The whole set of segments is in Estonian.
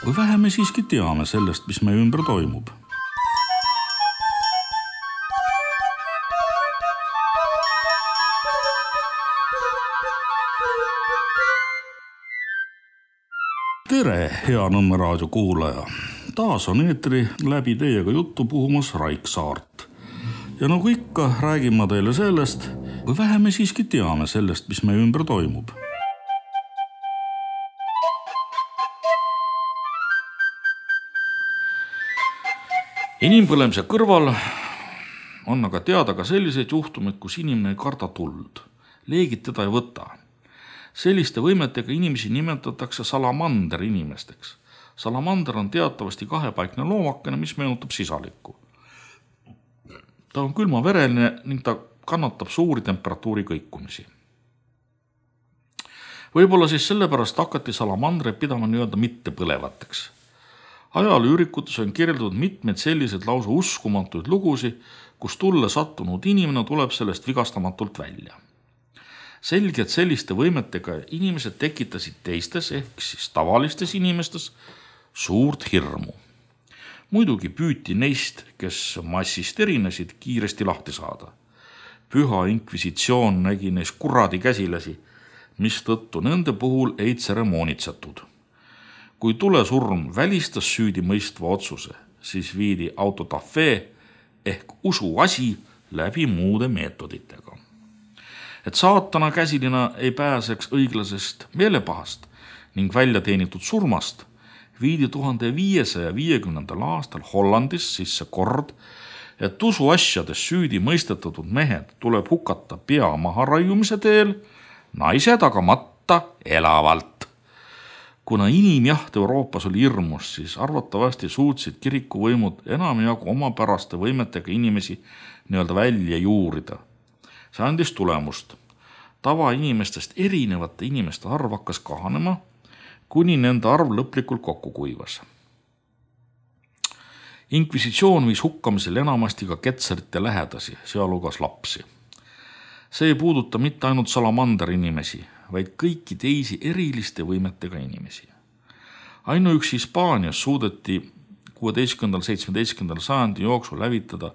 Või vähe me siiski teame sellest, mis meie ümber toimub. Tere, hea Nõmme raadio kuulaja! Taas on eetri läbi teiega juttu puhumas Raik Saart. Ja nagu ikka, räägin ma teile sellest, või vähe me siiski teame sellest, mis meie ümber toimub. Inimpõlemise kõrval on aga teada ka selliseid juhtumeid, kus inimene ei karda tuld. Leegid teda ei võta. Selliste võimetega inimesi nimetatakse salamander inimesteks. Salamander on teatavasti kahepaikne loomakene, mis meenutab sisalikku. Ta on külmavereline ning ta kannatab suuri temperatuuri kõikumisi. Võib-olla siis sellepärast hakati salamandreid pidama nii-öelda mittepõlevateks. Ajalüürikutes on kirjeldatud mitmeid selliseid lausa uskumatuid lugusi, kus tulle sattunud inimene tuleb sellest vigastamatult välja. Selge, et selliste võimetega inimesed tekitasid teistes ehk siis tavalistes inimestes suurt hirmu. Muidugi püüti neist, kes massist erinesid, kiiresti lahti saada. Püha inkvisitsioon nägi neis kuradi käsilasi, mistõttu nende puhul ei tseremoonitsetud. Kui tulesurm välistas süüdi mõistva otsuse, siis viidi autodafé ehk usuasi läbi muude meetoditega. Et saatana käsilina ei pääseks õiglasest meelepahast ning välja teenitud surmast, viidi 1550. aastal Hollandis sisse kord, et usuasjades süüdi mõistetatud mehed tuleb hukata pea maharaiumise teel, naised aga matta elavalt. Kuna inimjaht Euroopas oli hirmus, siis arvatavasti suutsid kirikuvõimud enamjagu omapäraste võimetega inimesi nii-öelda välja juurida. See andis tulemust. Tavainimestest erinevate inimeste arv hakkas kahanema, kuni nende arv lõplikult kokku kuivas. Inkvisitsioon viis hukkamisel enamasti ka ketserite lähedasi, sealhulgas lapsi. See ei puuduta mitte ainult salamander inimesi, vaid kõiki teisi eriliste võimetega inimesi. Ainuüksi Hispaanias suudeti 16.–17. sajandi jooksul lävitada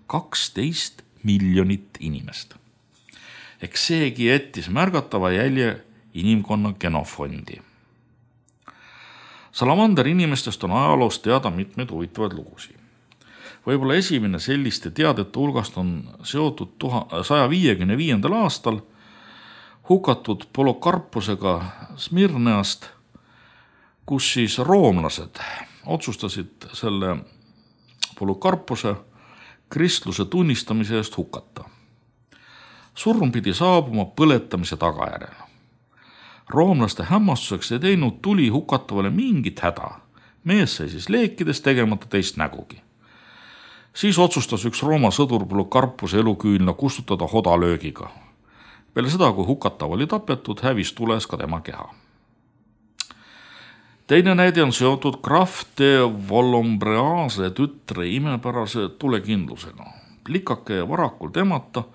12 miljonit inimest. Eks seegi jättis märgatava jälje inimkonna genofondi. Salamander inimestest on ajaloos teada mitmeid huvitavaid lugusi. Võib-olla esimene selliste teadete hulgast on seotud 155. aastal hukatud Polokarposega Smirneast, kus siis roomlased otsustasid selle Polokarpose kristluse tunnistamise eest hukata. Surm pidi saabuma põletamise tagajärjel. Roomlaste hämmastuseks ei teinud tuli hukatavale mingit häda. Mees sai siis leekides tegemata teist nägugi. Siis otsustas üks Rooma sõdur Polokarpose eluküünla kustutada hodalöögiga. Peale seda, kui hukatav oli tapetud, hävis tules ka tema keha. Teine näide on seotud Graf de Valombrease tütre imepärase tulekindlusega. Plikake varakult emata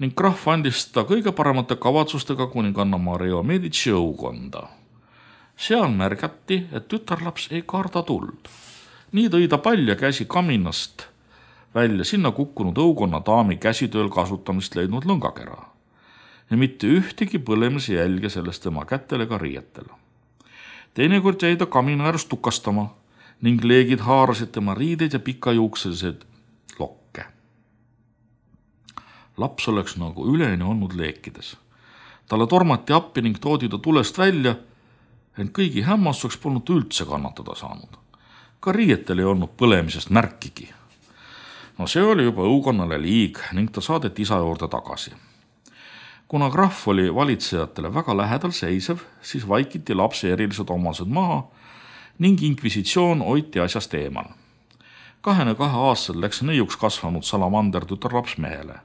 ning Graf andis ta kõige paremate kavatsustega kuninganna Maria Medici õukonda. Seal märgati, et tütarlaps ei karda tuld. Nii tõi ta palja käsi kaminast välja sinna kukkunud õukonna daami käsitööl kasutamist leidnud lõngakera. Ja mitte ühtegi põlemise jälge sellest tema kätel ega riietel. Teinekord jäi ta kamina äärest tukastama ning leegid haarasid tema riideid ja pikajuukselised lokke. Laps oleks nagu üleni olnud leekides. Talle tormati appi ning toodi ta tulest välja, ent kõigi hämmastuseks polnud üldse kannatada saanud. Ka riietel ei olnud põlemisest märkigi. No see oli juba õukonnale liig ning ta saadeti isa juurde tagasi. Kuna Graf oli valitsejatele väga lähedal seisev, siis vaikiti lapse erilised omased maha ning inkvisitsioon hoiti asjast eemal. 22 aastal läks neiuks kasvanud salamander tütarlaps mehele.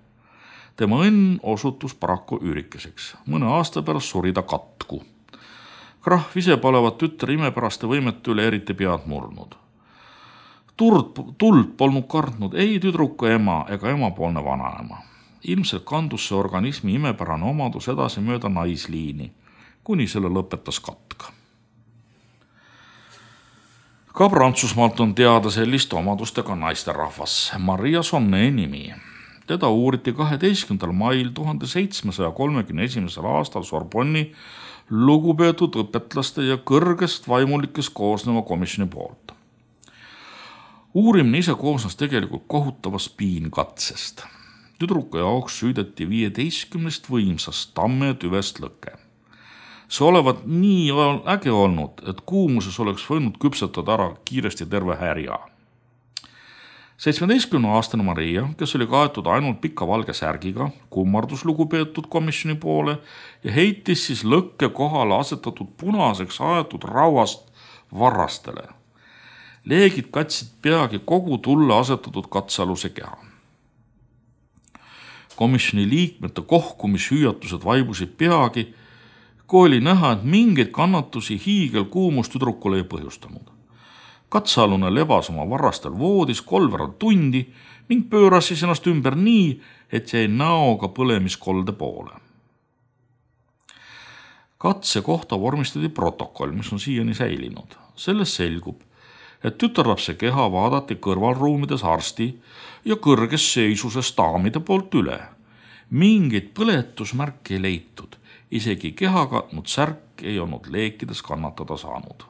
Tema õnn osutus paraku üürikeseks. Mõne aasta pärast suri ta katku. Graf ise palevat tütre imepäraste võimete üle eriti pead murnud. Tuld polnud kartnud ei tüdruku ema ega emapoolne vanaema. Ilmselt kandus see organismi imepärane omadus edasi mööda naisliini, kuni selle lõpetas katk. Ka Prantsusmaalt on teada sellist omadustega naisterahvas, Maria Sonnet nimi. Teda uuriti 12. mail 1731. aastal Sorbonni lugupeetud õpetlaste ja kõrgest vaimulikest koosneva komisjoni poolt. Uurimine ise koosnes tegelikult kohutavast piinkatsest. Tüdruku jaoks süüdeti 15 võimsast tamme tüvest lõke. See olevat nii äge olnud, et kuumuses oleks võinud küpsetada ära kiiresti terve härja. 17-aastane Maria, kes oli kaetud ainult pika valge särgiga, kummardus lugupeetud komisjoni poole ja heitis siis lõkke kohale asetatud punaseks aetud rauast varrastele. Leegid katsid peagi kogu tulle asetatud katsealuse keha. Komisjoni liikmete kohkumishüüatused vaibusid peagi, kui oli näha, et mingeid kannatusi hiigelkuumus tüdrukule ei põhjustanud. Katsealune lebas oma varrastel voodis 3 tundi ning pööras siis ennast ümber nii, et jäi näoga põlemiskolde poole. Katse kohta vormistati protokoll, mis on siiani säilinud. Selles selgub, et tütarlapse keha vaadati kõrvalruumides arsti ja kõrges seisuses daamide poolt üle. Mingeid põletusmärke ei leitud. Isegi keha katnud särk ei olnud leekides kannatada saanud.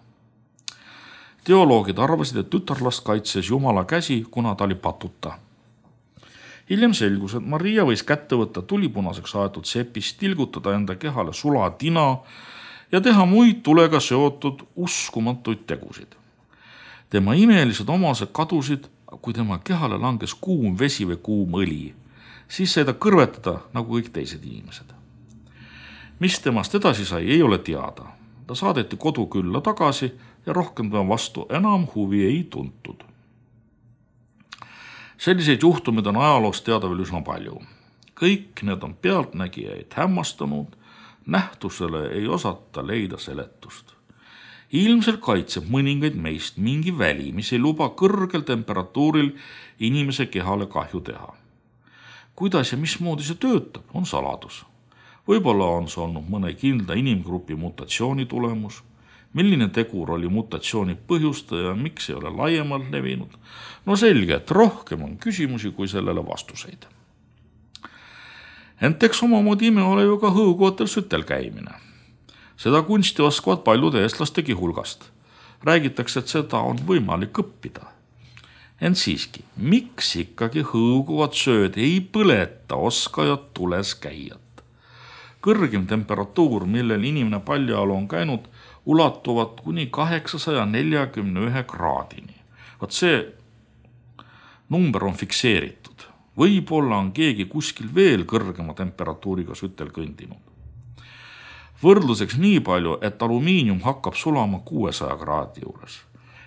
Teoloogid arvasid, et tütarlast kaitses Jumala käsi, kuna ta oli patuta. Hiljem selgus, et Maria võis kätte võtta tulipunaseks aetud sepist, tilgutada enda kehale sulatina ja teha muid tulega seotud uskumatuid tegusid. Tema imelised omased kadusid, kui tema kehale langes kuum vesi või kuum õli. Siis sai ta kõrvetada nagu kõik teised inimesed. Mis temast edasi sai, ei ole teada. Ta saadeti kodukülla tagasi ja rohkem tema vastu enam huvi ei tuntud. Selliseid juhtumid on ajaloos teada veel üsna palju. Kõik need on pealtnägijaid hämmastanud, nähtusele ei osata leida seletust. Ilmselt kaitseb mõningaid meist mingi väli, mis ei luba kõrgel temperatuuril inimese kehale kahju teha. Kuidas ja mismoodi see töötab, on saladus. Võib-olla on see olnud mõne kindla inimgrupi mutatsiooni tulemus, milline tegur oli mutatsiooni põhjustaja ja miks ei ole laiemalt levinud. No selge, et rohkem on küsimusi kui sellele vastuseid. Ent eks omamoodi ime ole ju ka hõuguvatel sütel käimine. Seda kunsti oskavad paljude eestlastegi hulgast. Räägitakse, et seda on võimalik õppida. Ent siiski, miks ikkagi hõuguvad sööd ei põleta oskajad tules käijad? Kõrgim temperatuur, millel inimene paljaolu on käinud, ulatuvad kuni 841 kraadini. Vaat see number on fikseeritud. Võib-olla on keegi kuskil veel kõrgema temperatuuriga sütel kõndinud. Võrdluseks nii palju, et alumiinium hakkab sulama 600 kraadi juures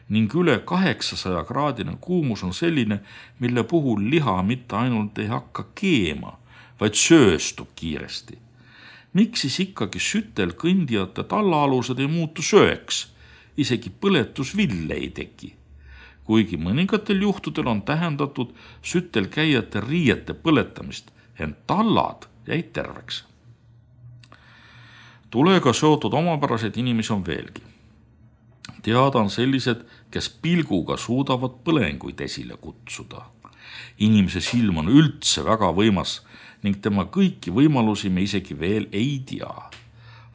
ning üle 800 kraadine kuumus on selline, mille puhul liha mitte ainult ei hakka keema, vaid sööstub kiiresti. Miks siis ikkagi sütel kõndijate tallaalused ei muutu sööks, isegi põletusville ei teki, kuigi mõningatel juhtudel on tähendatud sütel käijate riiete põletamist, ent tallad jäid terveks. Tulega seotud omapäraseid inimesi on veelgi. Teada on sellised, kes pilguga suudavad põlenguid esile kutsuda. Inimese silm on üldse väga võimas ning tema kõiki võimalusi me isegi veel ei tea.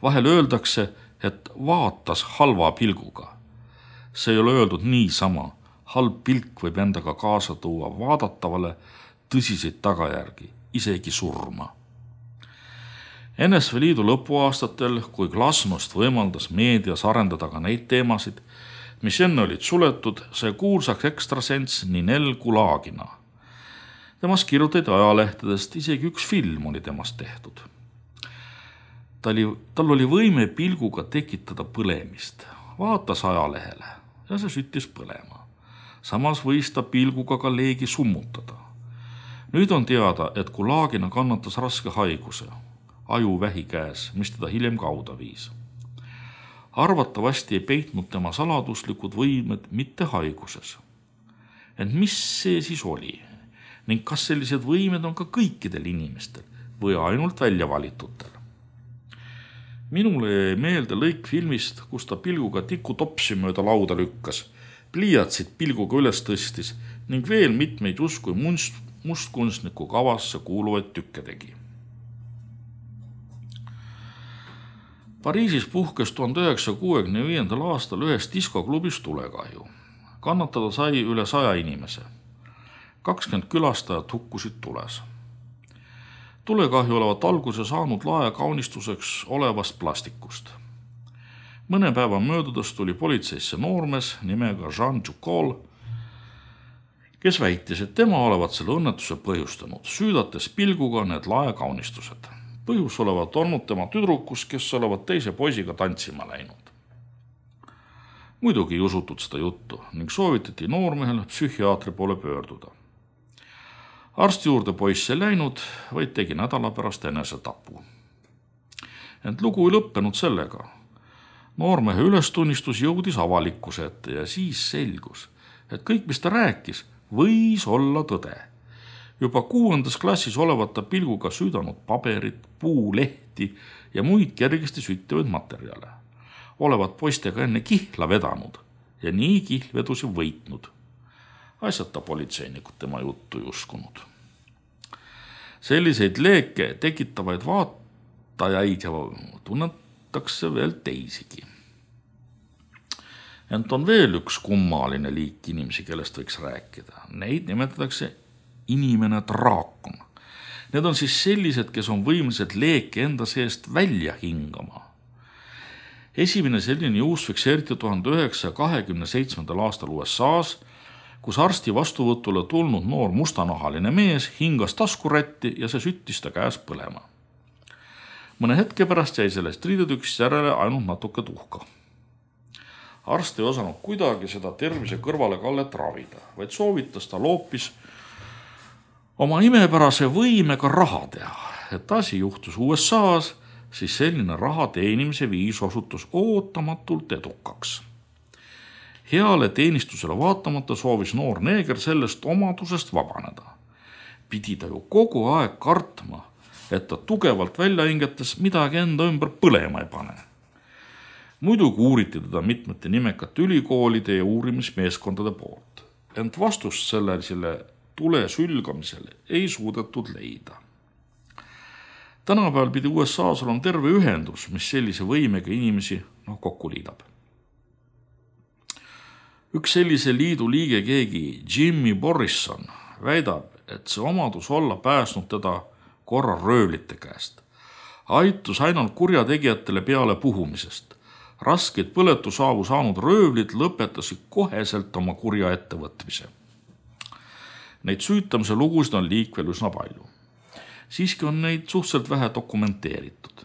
Vahel öeldakse, et vaatas halva pilguga. See ei ole öeldud niisama. Halb pilk võib endaga kaasa tuua vaadatavale tõsiseid tagajärgi, isegi surma. NSV Liidu lõpuaastatel, kui glasnost võimaldas meedias arendada ka neid teemasid, mis enne olid suletud, sai kuulsaks ekstrasens Ninel Kulagina. Temast kirjutati ajalehtedest, isegi üks film oli temast tehtud. Tal oli võime pilguga tekitada põlemist. Vaatas ajalehele ja see süttis põlema. Samas võis ta pilguga ka leegi summutada. Nüüd on teada, et Kulagina kannatas raske haiguse, ajuvähi käes, mis teda hiljem kauda viis. Arvatavasti ei peitnud tema saladuslikud võimed mitte haiguses. Ent mis see siis oli? Ning kas sellised võimed on ka kõikidel inimestel või ainult välja valitutel? Minule jäi meelde lõik filmist, kus ta pilguga tikutopsi mööda lauda lükkas. pliiatsid pilguga üles tõstis ning veel mitmeid justkui mustkunstniku kavasse kuuluvaid tükke tegi. Pariisis puhkes 1965. aastal ühes diskoklubis tulekahju. Kannatada sai üle 100 inimese. 20 külastajat hukkusid tules. Tulekahju olevat alguse saanud lae kaunistuseks olevast plastikust. Mõne päeva möödudes tuli politseisse noormees nimega Jean Ducol, kes väitis, et tema olevat selle õnnetuse põhjustanud, süüdates pilguga need lae kaunistused. Põhjus olevat olnud tema tüdrukus, kes olevat teise poisiga tantsima läinud. Muidugi ei usutud seda juttu ning soovitati noormehel psühhiaatri poole pöörduda. Arsti juurde poiss ei läinud, vaid tegi nädala pärast enesetapu. Ent lugu ei lõppenud sellega. Noormehe ülestunnistus jõudis avalikkuse ette ja siis selgus, et kõik, mis ta rääkis, võis olla tõde. Juba 6. klassis olevat ta pilguga süüdanud paberit, puulehti ja muid kergesti süttivaid materjale. Olevat poistega enne kihla vedanud ja nii kihlvedusi võitnud. Asjata politseinikud tema juttu ei uskunud. Selliseid leeke tekitavaid vaatajaid ja tunnetakse veel teisigi. Ent on veel üks kummaline liik inimesi, kellest võiks rääkida. Neid nimetatakse inimene draakon. Need on siis sellised, kes on võimelised leeke enda seest välja hingama. Esimene selline juhus fikseeriti 1927. aastal USA's, kus arsti vastuvõtule tulnud noor mustanahaline mees hingas taskurätti ja see süttis ta käes põlema. Mõne hetke pärast jäi sellest riidetükist järele ainult natuke tuhka. Arst ei osanud kuidagi seda tervise kõrvalekallet ravida, vaid soovitas ta loopis oma imepärase võimega raha teha. Et asi juhtus USA's, siis selline raha teenimise viis osutus ootamatult edukaks. Heale teenistusele vaatamata soovis noor neeger sellest omadusest vabaneda. Pidi ta ju kogu aeg kartma, et ta tugevalt välja hingetes midagi enda ümber põlema ei pane. Muidugi uuriti teda mitmete nimekate ülikoolide ja uurimismeeskondade poolt. Ent vastust sellele tule sülgamisele ei suudetud leida. Tänapäeval pidi USA's olema terve ühendus, mis sellise võimega inimesi kokku liidab. Üks sellise liidu liige keegi Jimmy Borrison väidab, et see omadus olla pääsnud teda korra röövlite käest. Aitus ainult kurjategijatele peale puhumisest. Raskeid põletusaavu saanud röövlid lõpetasid koheselt oma kurja ettevõtmise. Neid süütamise lugusid on liikvel üsna palju. Siiski on neid suhteliselt vähe dokumenteeritud.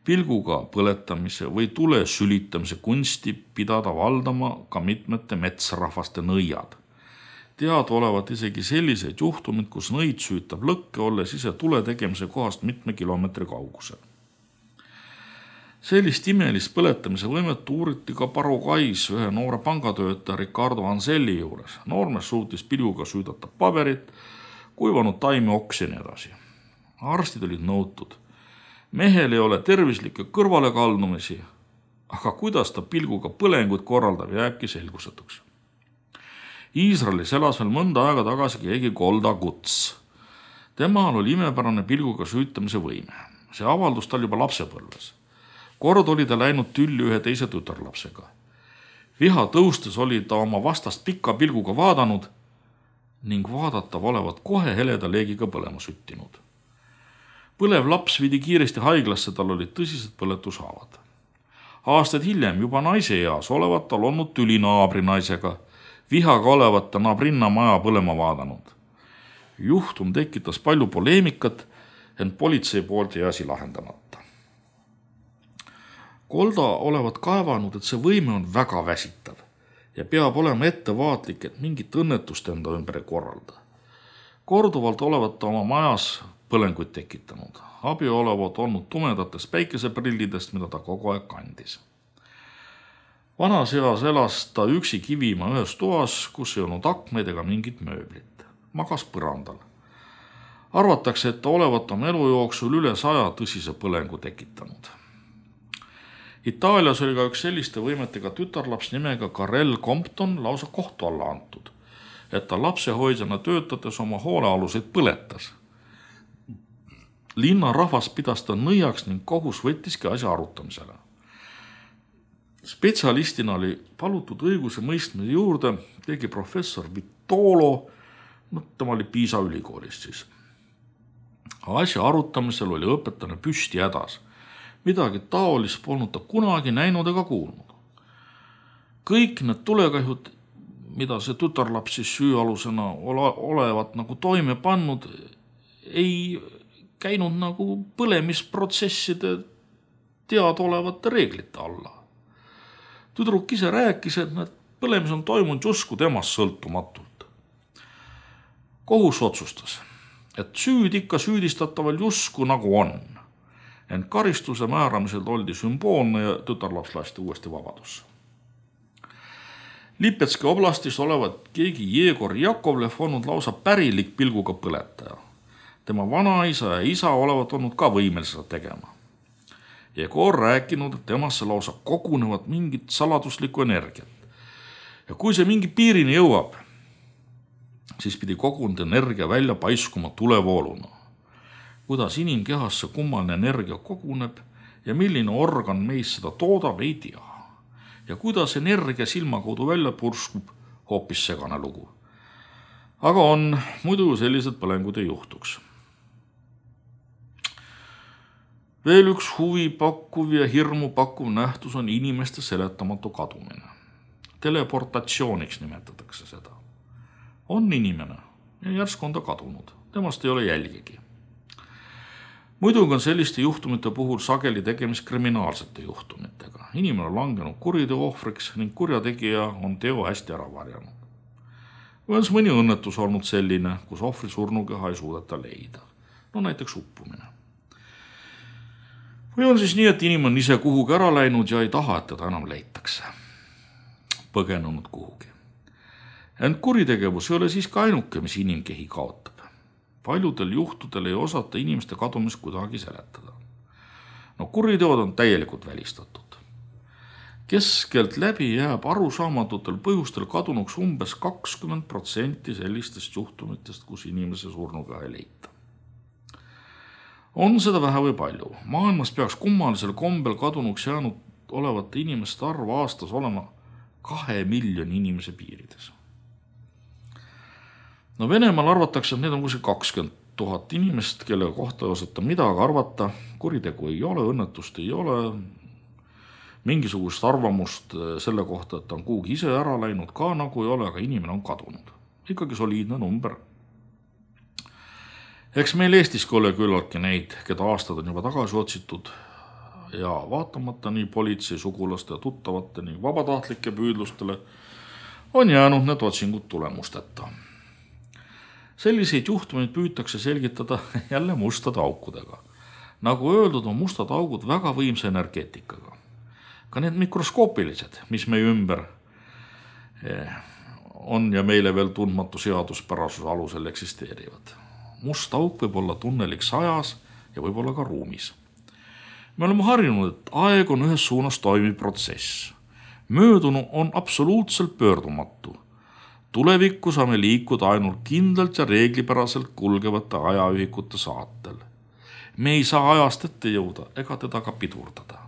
Pilguga põletamise või tule sülitamise kunsti pidada valdama ka mitmete metsrahvaste nõiad. Teada olevat isegi selliseid juhtumid, kus nõid süütab lõkke, olles ise tule tegemise kohast mitme kilomeetri kaugusel. Sellist imelist põletamise võimet uuriti ka Paraguay's ühe noore pangatöötaja Ricardo Anselli juures. Noormees suutis pilguga süüdata paberit, kuivanud taimi oksi ja nii edasi. Arstid olid nõutud. Mehel ei ole tervislikke kõrvalekaldumisi, aga kuidas ta pilguga põlenguid korraldab, jääbki selgusetuks. Iisraelis elas veel mõnda aega tagasi keegi Golda Guts. Temal oli imepärane pilguga süütamise võime. See avaldus tal juba lapsepõlves. Kord oli ta läinud tülli ühe teise tütarlapsega. Viha tõustes oli ta oma vastast pika pilguga vaadanud ning vaadatav olevat kohe heleda leegiga põlema süttinud. Põlev laps vidi kiiresti haiglasse, tal olid tõsised põletushaavad. Aastaid hiljem juba naise eas olevat tal olnud tüli naabrinaisega, vihaga olevat ta naabrinna maja põlema vaadanud. Juhtum tekitas palju poleemikat, ent politsei poolt jäi asi lahendamata. Golda olevat kaevanud, et see võime on väga väsitav ja peab olema ettevaatlik, et mingit õnnetust enda ümber ei korralda. Korduvalt olevat ta oma majas põlenguid tekitanud. Abi olevat olnud tumedatest päikeseprillidest, mida ta kogu aeg kandis. Vanas eas elas ta üksi Kivimaa ühes toas, kus ei olnud akmeid ega mingit mööblit. Magas põrandal. Arvatakse, et ta olevat oma elu jooksul üle 100 tõsise põlengu tekitanud. Itaalias oli ka üks selliste võimetega tütarlaps nimega Karel Compton lausa kohtu alla antud, et ta lapsehoidjana töötades oma hoolealuseid põletas. Linna rahvas pidas ta nõiaks ning kohus võttiski asja arutamisele. Spetsialistina oli palutud õiguse mõistmise juurde, tegi professor Vitolo, tema oli Piisa ülikoolist siis. Asja arutamisel oli õpetane püsti hädas. Midagi taolist polnud ta kunagi näinud ega kuulnud. Kõik need tulekahjud, mida see tütarlaps siis süüalusena olevat nagu toime pannud, ei käinud nagu põlemisprotsesside teadaolevate reeglite alla. Tüdruk ise rääkis, et need põlemis on toimunud justkui temast sõltumatult. Kohus otsustas, et süüd ikka süüdistataval justkui nagu on. Ent karistuse määramisel oldi sümboolne ja tütarlaps lasti uuesti vabadusse. Lipetski oblastis olevat keegi Jegor Jakovlev olnud lausa pärilik pilguga põletaja. Tema vanaisa ja isa olevat olnud ka võimelised seda tegema. Jegor rääkinud, et temasse lausa kogunevad mingit saladuslikku energiat. Ja kui see mingi piirini jõuab, siis pidi kogunud energia välja paiskuma tulevooluna. Kuidas inimkehasse kummaline energia koguneb ja milline organ meis seda toodab, ei tea. Ja kuidas energia silma kaudu välja purskub, hoopis segane lugu. Aga on, muidu sellised põlengud ei juhtuks. Veel üks huvipakkuv ja hirmu pakkuv nähtus on inimeste seletamatu kadumine. Teleportatsiooniks nimetatakse seda. On inimene ja järsku on ta kadunud. Temast ei ole jälgigi. Muidugi on selliste juhtumite puhul sageli tegemist kriminaalsete juhtumitega. Inimene on langenud kuriteo ohvriks ning kurjategija on teo hästi ära varjanud. Või on mõni õnnetus olnud selline, kus ohvri surnukeha ei suudeta leida. No näiteks uppumine. Või on siis nii, et inimene on ise kuhugi ära läinud ja ei taha, et teda enam leitakse. Põgenenud kuhugi. Ent kuritegevus ei ole siiski ainuke, mis inimkehi kaotab. Paljudel juhtudel ei osata inimeste kadumist kuidagi seletada. No kuriteod on täielikult välistatud. Keskelt läbi jääb arusaamatute põhjustel kadunuks umbes 20% sellistest juhtumitest, kus inimese surnukeha ei leita. On seda vähe või palju. Maailmas peaks kummalisel kombel kadunuks jäänud olevate inimeste arv aastas olema 2 miljoni inimese piirides. No Venemaal arvatakse, et need on kuskil 20 000 inimest, kelle kohta ei osata midagi arvata, kuritegu ei ole, õnnetust ei ole, mingisugust arvamust selle kohta, et ta on kuhugi ise ära läinud ka nagu ei ole, aga inimene on kadunud. Ikkagi soliidne number. Eks meil Eestiski ole küllaltki neid, keda aastad on juba tagasi otsitud ja vaatamata nii politsei, sugulaste ja tuttavate ning vabatahtlike püüdlustele on jäänud need otsingud tulemusteta. Selliseid juhtumeid püütakse selgitada jälle mustade aukudega. Nagu öeldud, on mustad augud väga võimsa energeetikaga. Ka need mikroskoopilised, mis meie ümber on ja meile veel tundmatu seaduspärasuse alusel eksisteerivad. Must auk võib olla tunneliks ajas ja võib olla ka ruumis. Me oleme harjunud, et aeg on ühes suunas toimiv protsess. Möödunu on absoluutselt pöördumatu. Tulevikku saame liikuda ainult kindlalt ja reeglipäraselt kulgevate ajaühikute saatel. Me ei saa ajast ette jõuda ega teda ka pidurdada.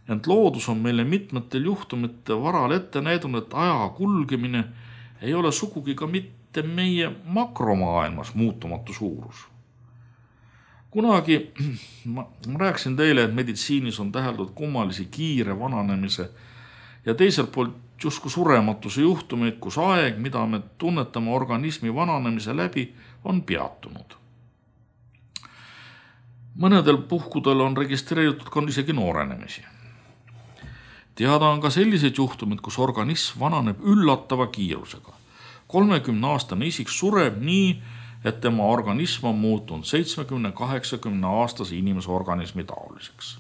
Ent loodus on meile mitmetel juhtumite varal ette näidanud, et aja kulgemine ei ole sugugi ka mitte meie makromaailmas muutumatu suurus. Kunagi ma rääkisin teile, et meditsiinis on täheldud kummalisi kiire vananemise ja teiselt poolt justkui surematuse juhtumeid, kus aeg, mida me tunnetame organismi vananemise läbi, on peatunud. Mõnedel puhkudel on registreeritud ka isegi noorenemisi. Teada on ka sellised juhtumid, kus organism vananeb üllatava kiirusega. 30-aastane isik sureb nii, et tema organism on muutunud 70-80 aastase inimese organismi taoliseks.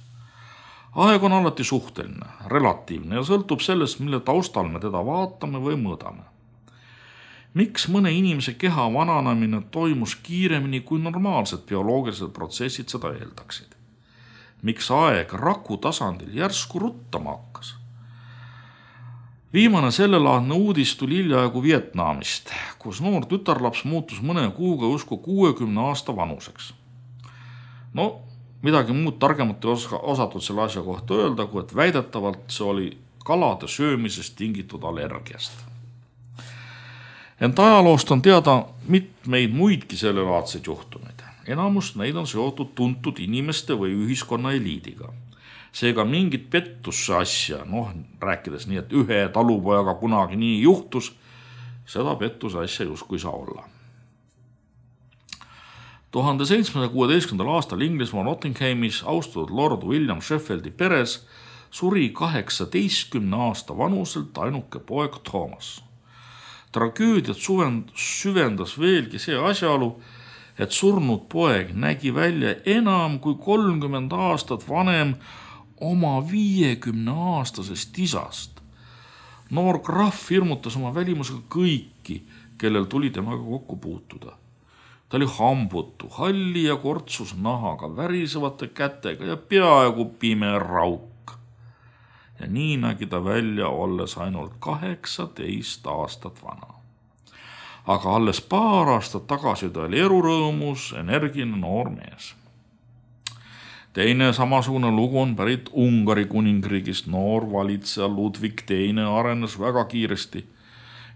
Aeg on alati suhteline, relatiivne ja sõltub sellest, mille taustal me teda vaatame või mõõdame. Miks mõne inimese keha vananemine toimus kiiremini, kui normaalsed bioloogilised protsessid seda eeldaksid? miks aeg raku tasandil järsku ruttama hakkas. Viimane sellelaadne uudis tuli hiljaaegu Vietnamist, kus noor tütarlaps muutus mõne kuuga justkui 60 aasta vanuseks. No, midagi muud targemat ei osatud selle asja kohta öelda, kui et väidetavalt see oli kalade söömisest tingitud allergiast. Ent ajaloost on teada mitmeid muidki sellelaadseid juhtumeid. Enamus neid on seotud tuntud inimeste või ühiskonna eliidiga. Seega mingit pettusse asja, rääkides nii, et ühe talupojaga kunagi nii juhtus, seda pettuse asja justkui saa olla. 1716. aastal Inglismaa Nottinghamis austatud Lord William Sheffieldi peres suri 18 aasta vanuselt ainuke poeg Thomas. Tragöödiat süvendas veelgi see asjaolu, et surnud poeg nägi välja enam kui 30 aastat vanem oma 50-aastasest isast. Noor krahv hirmutas oma välimusega kõiki, kellel tuli temaga kokku puutuda. Ta oli hambutu, halli ja kortsus nahaga, värisevate kätega ja peaaegu pime rauk. Ja nii nägi ta välja, olles ainult 18 aastat vana. Aga alles paar aastat tagasi ta oli erurõõmus, energiline noor mees. Teine samasugune lugu on pärit Ungari kuningriigist. Noor valitseja Ludwig II arenes väga kiiresti.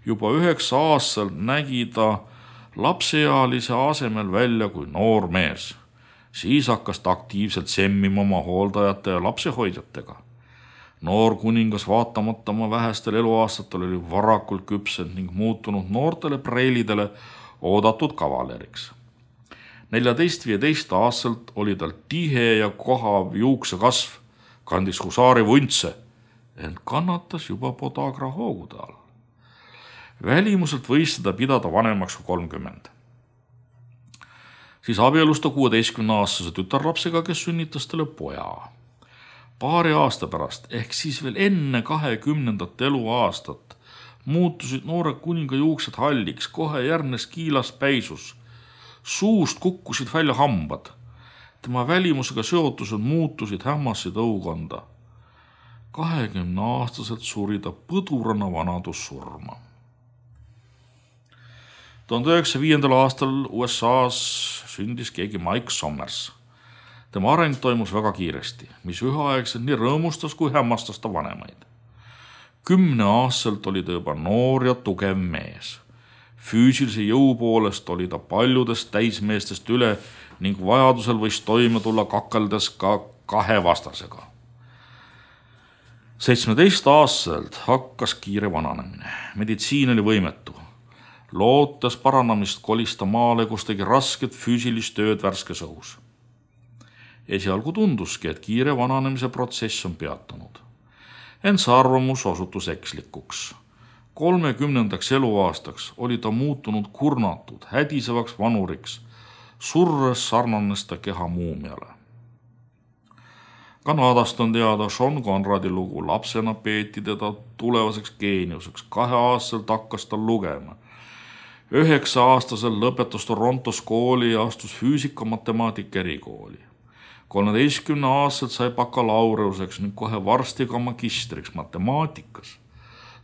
Juba 9-aastaselt nägi ta lapseealise asemel välja kui noor mees. Siis hakkas ta aktiivselt semmima oma hooldajate ja lapsehoidjatega. Noor kuningas vaatamata oma vähestel eluaastatel oli varakult küpsed ning muutunud noortele preilidele oodatud kavaleriks. 14-15 aastaselt oli tal tihe ja kohav juuksekasv, kandis husaari vuntse, ent kannatas juba podagra hoogude all. Välimuselt võis seda pidada vanemaks kui 30. Siis abielus ta 16-aastase tütarlapsega, kes sünnitas talle poja. Paari aasta pärast, ehk siis veel enne 20. eluaastat, muutusid noore kuninga juuksed halliks, kohe järgnes kiilas päisus. Suust kukkusid välja hambad. Tema välimusega seotused muutusid hämmasid õukonda. 20-aastaselt suri ta põdurana vanadussurma. 1905. aastal USA-s sündis keegi Mike Sommers. Tema areng toimus väga kiiresti, mis üheaegselt nii rõõmustas kui hämmastas ta vanemaid. 10-aastaselt oli ta juba noor ja tugev mees. Füüsilise jõu poolest oli ta paljudest täismeestest üle ning vajadusel võis toime tulla kakeldes ka 2 vastasega. 17-aastaselt hakkas kiire vananemine. Meditsiin oli võimetu. Lootes paranemist kolis ta maale, kus tegi rasket füüsilist tööd värskes õhus. Esialgu tunduski, et kiire vananemise protsess on peatunud. Ent see arvamus osutus ekslikuks. 30. eluaastaks oli ta muutunud kurnatud, hädisevaks vanuriks, surres sarnanes ta keha muumiale. Kanadast on teada Sean Conradi lugu. Lapsena peeti teda tulevaseks geeniuseks. 2-aastaselt hakkas ta lugema. 9-aastaselt lõpetas Torontos kooli ja astus füüsika-matemaatika erikooli. 13-aastaselt sai bakalaureuseks ning kohe varsti ka magistriks matemaatikas.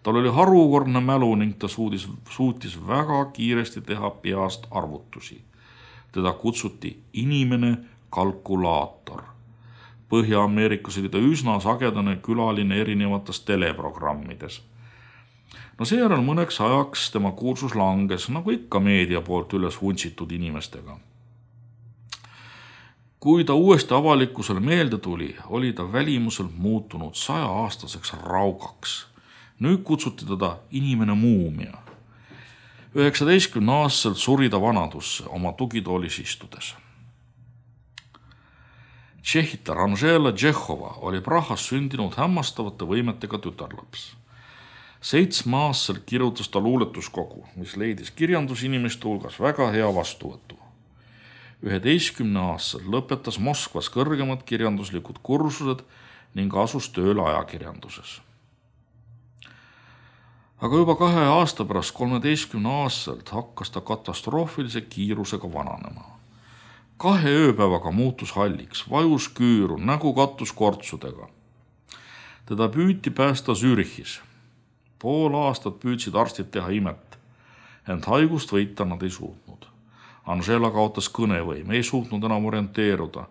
Tal oli harukordne mälu ning ta suutis väga kiiresti teha peast arvutusi. Teda kutsuti inimene kalkulaator. Põhja-Ameerikas oli ta üsna sagedane külaline erinevates teleprogrammides. Seejärel mõneks ajaks tema kuulsus langes, nagu ikka meedia poolt üles vuntsitud inimestega. Kui ta uuesti avalikkusele meelde tuli, oli ta välimuselt muutunud 100-aastaseks raugaks. Nüüd kutsuti teda inimene muumia. 19-aastaselt suri ta vanadusse oma tugitoolis istudes. Tšehhitar Anžela Tšehhova oli Prahas sündinud hämmastavate võimetega tütarlaps. 7-aastaselt kirjutas ta luuletuskogu, mis leidis kirjandusinimeste hulgas väga hea vastuvõtu. 11-aastaselt lõpetas Moskvas kõrgemad kirjanduslikud kursused ning asus tööle ajakirjanduses. Aga juba 2 aasta pärast 13-aastaselt hakkas ta katastroofilise kiirusega vananema. 2 ööpäevaga muutus halliks, vajus küüru, nägu kattus kortsudega. Teda püüti päästa Zürichis. Pool aastat püüdsid arstid teha imet, ent haigust võita nad ei suutnud. Angela kaotas kõnevõime, ei suutnud enam orienteeruda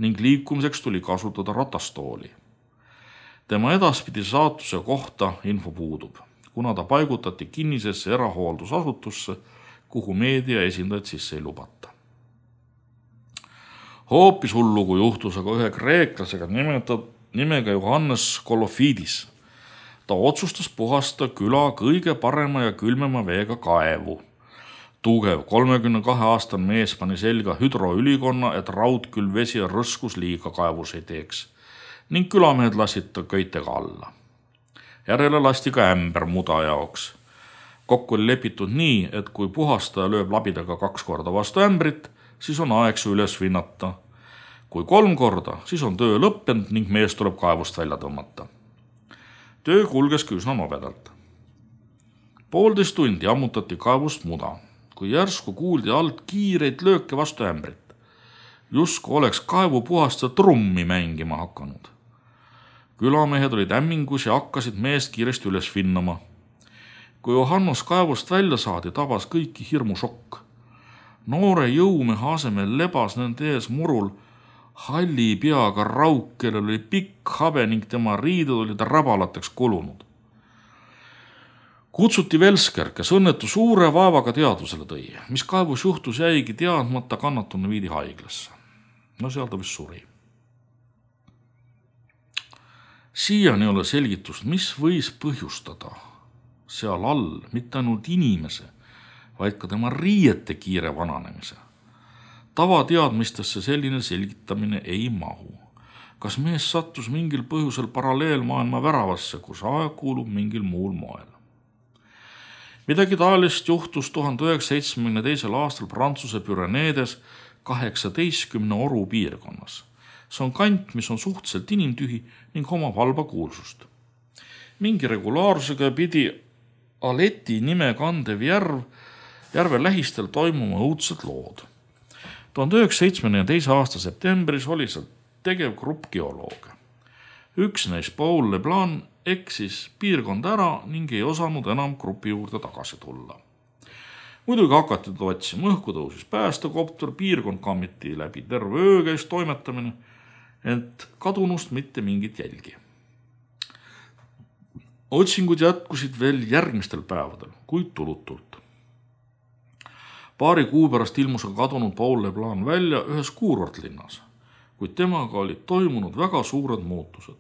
ning liikumiseks tuli kasutada ratastooli. Tema edaspidi saatuse kohta info puudub, kuna ta paigutati kinnisesse erahooldusasutusse, kuhu meedia esindajad sisse ei lubata. Hoopis hullugu juhtus aga ühe kreeklasega nimega Johannes Kolofidis. Ta otsustas puhasta küla kõige parema ja külmema veega kaevu. Tugev 32-aastane mees pani selga hüdroülikonna, et raudkülv vesi ja rõskus liiga kaevus ei teeks ning külamehed lasid ta köitega alla. Järele lasti ka ämber muda jaoks. Kokku oli lepitud nii, et kui puhastaja lööb labidaga 2 korda vastu ämbrit, siis on aeg see üles vinnata. Kui 3 korda, siis on töö lõppenud ning mees tuleb kaevust välja tõmmata. Töö kulgeski üsna nobedalt. 1,5 tundi ammutati kaevust muda, kui järsku kuuldi alt kiireid lööke vastu ämbrit. Justkui oleks kaevupuhastaja trummi mängima hakanud. Külamehed olid ämmingus ja hakkasid meest kiiresti üles vinnama. Kui Johannes kaevust välja saadi, tabas kõiki hirmu šokk. Noore jõumehe asemel lebas nende ees murul halli peaga rauk, kellel oli pikk habe ning tema riided olid rabalateks kulunud. Kutsuti Velsker, kes õnnetu suure vaevaga teadvusele tõi, mis kaevus juhtus jäigi teadmata, kannatunu viidi haiglasse. No seal ta vist suri. Siiani ei ole selgitust, mis võis põhjustada seal all mitte ainult inimese, vaid ka tema riiete kiire vananemise. Tavateadmistesse selline selgitamine ei mahu. Kas mees sattus mingil põhjusel paralleelmaailma väravasse, kus aeg kuulub mingil muul moel? Midagi taolist juhtus 1972. aastal Prantsuse Püreneedes 18 oru piirkonnas. See on kant, mis on suhteliselt inimtühi ning omab halba kuulsust. Mingi regulaarsusega pidi Aleti nime kandev järve lähistel toimuma õudsed lood. 1972. aasta septembris oli seal tegev grupp geolooge. Üks neist, Paul Leblanc, eksis piirkonda ära ning ei osanud enam grupi juurde tagasi tulla. Muidugi hakati teda otsima, õhku tõusis päästekopter, piirkond kammiti läbi terve öö käis toimetamine, ent kadunust mitte mingit jälgi. Otsingud jätkusid veel järgmistel päevadel, kuid tulutult. 2 kuu pärast ilmus kadunud Paul Leblanc välja ühes kuurortlinnas, kuid temaga olid toimunud väga suured muutused.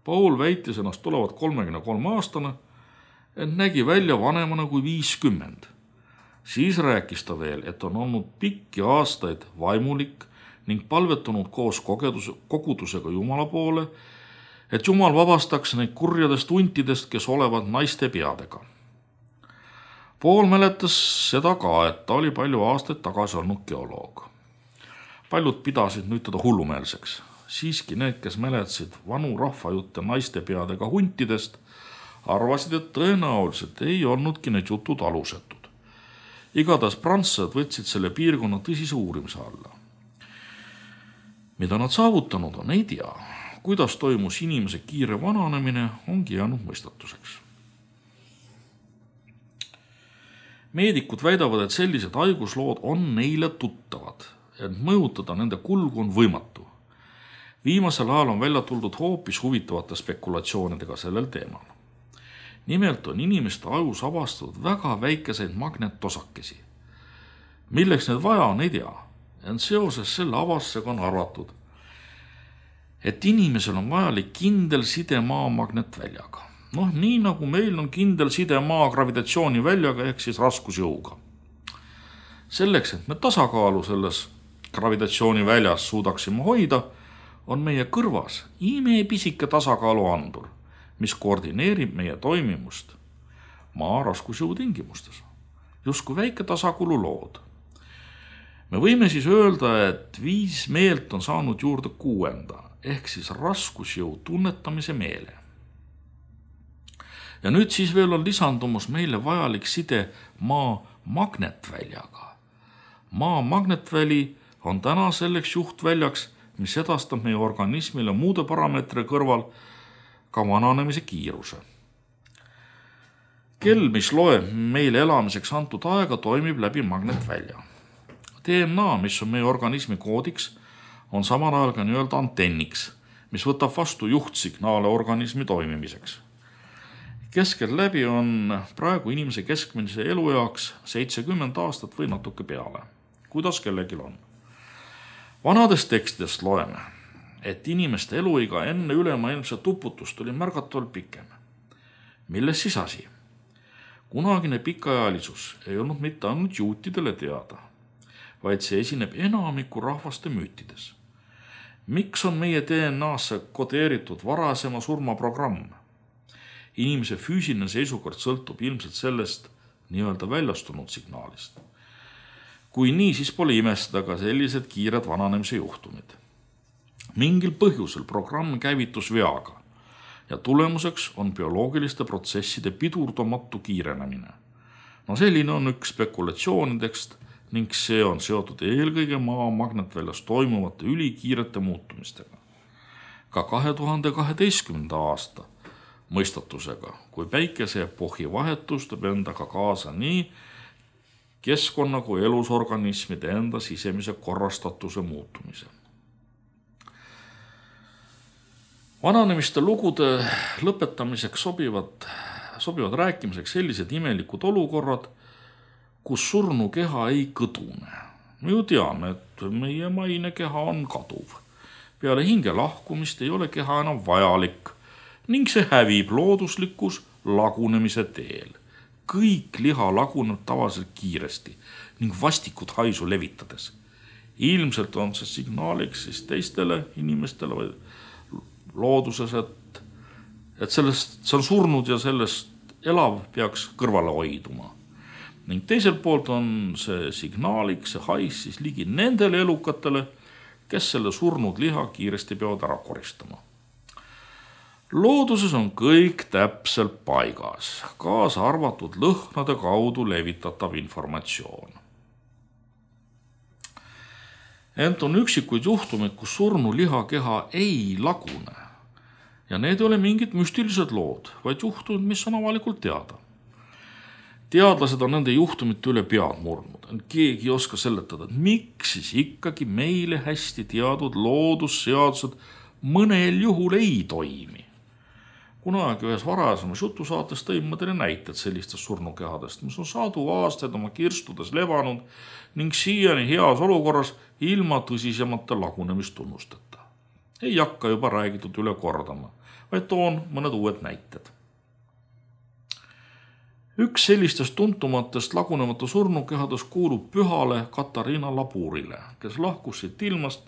Paul väitis ennast tulevat 33 aastane, ent nägi välja vanemana kui 50. Siis rääkis ta veel, et on olnud pikki aastaid vaimulik ning palvetanud koos kogudusega Jumala poole, et Jumal vabastaks neid kurjadest huntidest, kes olevat naiste peadega. Paul mäletas seda ka, et ta oli palju aastaid tagasi olnud geoloog. Paljud pidasid nüüd teda hullumeelseks. Siiski need, kes mäletasid vanu rahvajutte naiste peadega huntidest, arvasid, et tõenäoliselt ei olnudki need jutud alusetud. Igatahes prantslased võtsid selle piirkonna tõsise uurimise alla. Mida nad saavutanud on, ei tea. Kuidas toimus inimese kiire vananemine, ongi jäänud mõistatuseks. Meedikud väidavad, et sellised haiguslood on neile tuttavad, et mõjutada nende kulgu on võimatu. Viimasel ajal on välja tuldud hoopis huvitavate spekulatsioonidega sellel teemal. Nimelt on inimeste ajus avastatud väga väikeseid magnetosakesi. Milleks need vaja on, ei tea. Ent seoses selle avastusega on arvatud, et inimesel on vajalik kindel side maa magnetväljaga. Nii nagu meil on kindel side maa gravitatsiooniväljaga ehk siis raskusjõuga. Selleks, et me tasakaalu selles gravitatsiooniväljas suudaksime hoida, on meie kõrvas imepisike tasakaaluandur, mis koordineerib meie toimimust maa raskusjõu tingimustes. Justkui väike tasakaalu lood. Me võime siis öelda, et 5 meelt on saanud juurde 6. ehk siis raskusjõu tunnetamise meele. Ja nüüd siis veel on lisandumus meile vajalik side maa magnetväljaga. Maa magnetväli on täna selleks juhtväljaks, mis edastab meie organismile muude parameetri kõrval ka vananemise kiiruse. Kell, mis loeb meile elamiseks antud aega, toimib läbi magnetvälja. DNA, mis on meie organismi koodiks, on samal ajal ka nii-öelda antenniks, mis võtab vastu juhtsignaale organismi toimimiseks. Keskelläbi on praegu inimese keskmise elueaks 70 aastat või natuke peale. Kuidas kellelgi on? Vanadest tekstidest loeme, et inimeste eluiga enne ülemaailmset uputust oli märgatavalt pikem. Milles siis asi? Kunagine pikaajalisus ei olnud mitte ainult juutidele teada, vaid see esineb enamiku rahvaste müütides. Miks on meie DNA-sse kodeeritud varasema surmaprogramm? Inimese füüsiline seisukord sõltub ilmselt sellest nii-öelda väljastunud signaalist. Kui nii, siis pole imestada ka sellised kiired vananemise juhtumid. Mingil põhjusel programm käivitus veaga ja tulemuseks on bioloogiliste protsesside pidurdamatu kiirenemine. Selline on üks spekulatsioonidest ning see on seotud eelkõige maa magnetväljas toimuvate ülikiirete muutumistega. Ka 2012. aasta mõistatusega, kui päikeseepohhi vahetus tõb endaga kaasa nii keskkonna kui elusorganismide enda sisemise korrastatuse muutumise. Vananemiste lugude lõpetamiseks sobivad rääkimiseks sellised imelikud olukorrad, kus surnu keha ei kõdune. Me ju teame, et meie maine keha on kaduv. Peale hinge lahkumist ei ole keha enam vajalik ning see hävib looduslikus lagunemise teel. Kõik liha laguneb tavaliselt kiiresti ning vastikut haisu levitades. Ilmselt on see signaaliks siis teistele inimestele või looduses, et see on surnud ja sellest elav peaks kõrvale hoiduma. Ning teiselt poolt on see signaaliks, see hais siis ligi nendele elukatele, kes selle surnud liha kiiresti peavad ära koristama. Looduses on kõik täpselt paigas, kaasa arvatud lõhnade kaudu levitatav informatsioon. Ent on üksikuid juhtumid, kus surnu lihakeha ei lagune. Ja need ei ole mingid müstilised lood, vaid juhtumid, mis on avalikult teada. Teadlased on nende juhtumite üle pead murdnud. Keegi ei oska seletada, et miks siis ikkagi meile hästi teadud loodusseadused mõnel juhul ei toimi. Kunagi ühes varasemas jutusaates tõin ma teile näited sellistest surnukehadest, mis on sadu aastaid oma kirstudes levanud ning siiani heas olukorras ilma tõsisemate lagunemistunnusteta. Ei hakka juba räägitud üle kordama, vaid toon mõned uued näited. Üks sellistest tuntumatest lagunemata surnukehadest kuulub pühale Katariina Laburile, kes lahkus siit ilmast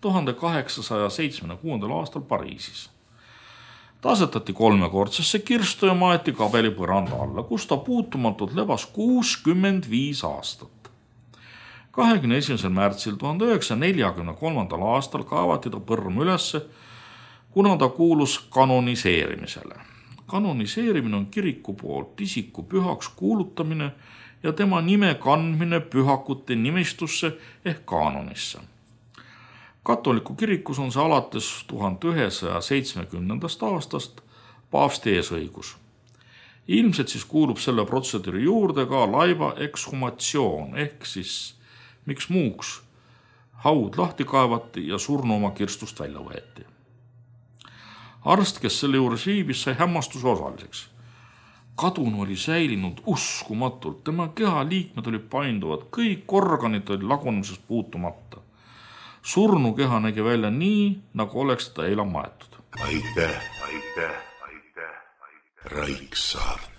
1876. aastal Pariisis. Ta asetati 3-kordsesse kirstu ja maeti kabeli põranda alla, kus ta puutumatult lebas 65 aastat. 21. märtsil 1943. aastal kaevati ta põrm ülesse, kuna ta kuulus kanoniseerimisele. Kanoniseerimine on kiriku poolt isiku pühaks kuulutamine ja tema nime kandmine pühakute nimistusse ehk kaanonisse. Katoliku kirikus on see alates 1970. aastast paavsti eesõigus. Ilmselt siis kuulub selle protseduuri juurde ka laiba ekshumatsioon ehk siis miks muuks haud lahti kaevati ja surnu oma kirstust välja võeti. Arst, kes selle juures viibis, sai hämmastuse osaliseks. Kadunu oli säilinud uskumatult, tema kehaliikmed olid painduvad, kõik organid olid lagunemisest puutumata. Surnu keha nägi välja nii, nagu oleks teda eila maetud. Aitäh, Raiksaart.